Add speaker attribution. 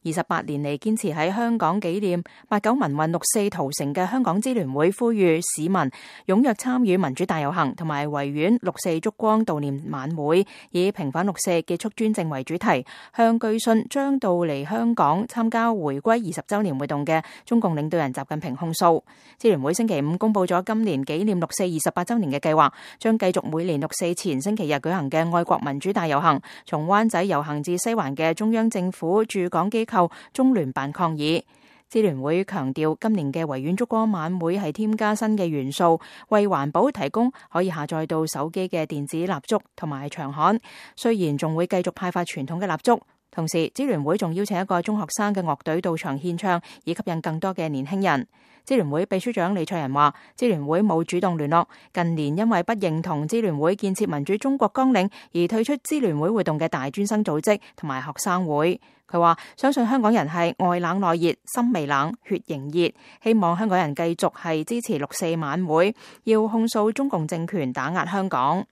Speaker 1: 28年嚟堅持喺香港紀念89民運6·4屠城嘅香港支聯會呼籲市民踴躍參與民主大遊行同埋維園6·4燭光悼念晚會，以平反6·4結束專政為主題，向據信將到嚟香港參加回歸20週年活動嘅中共領導人習近平控訴。支聯會星期五公布咗今年紀念6·4 28週年嘅計劃，將繼續每年6·4前星期日舉行嘅愛國民主大遊行，從灣仔遊行至西環嘅中央政府駐港機構中聯辦抗議。支聯會強調，今年嘅維園燭光晚會係添加新嘅元素，為環保提供可以下載到手機嘅電子蠟燭同埋長刊。雖然仲會繼續派發傳統嘅蠟燭，同時支聯會仲邀請一個中學生嘅樂隊到場獻唱，以吸引更多嘅年輕人。支聯會秘書長李卓人話，支聯會冇主動聯絡，近年因為不認同支聯會建設民主中國綱領而退出支聯會活動嘅大專生組織同埋學生會。佢話相信香港人係外冷內熱，心未冷，血仍熱，希望香港人繼續係支持6·4晚會，要控訴中共政權打壓香港。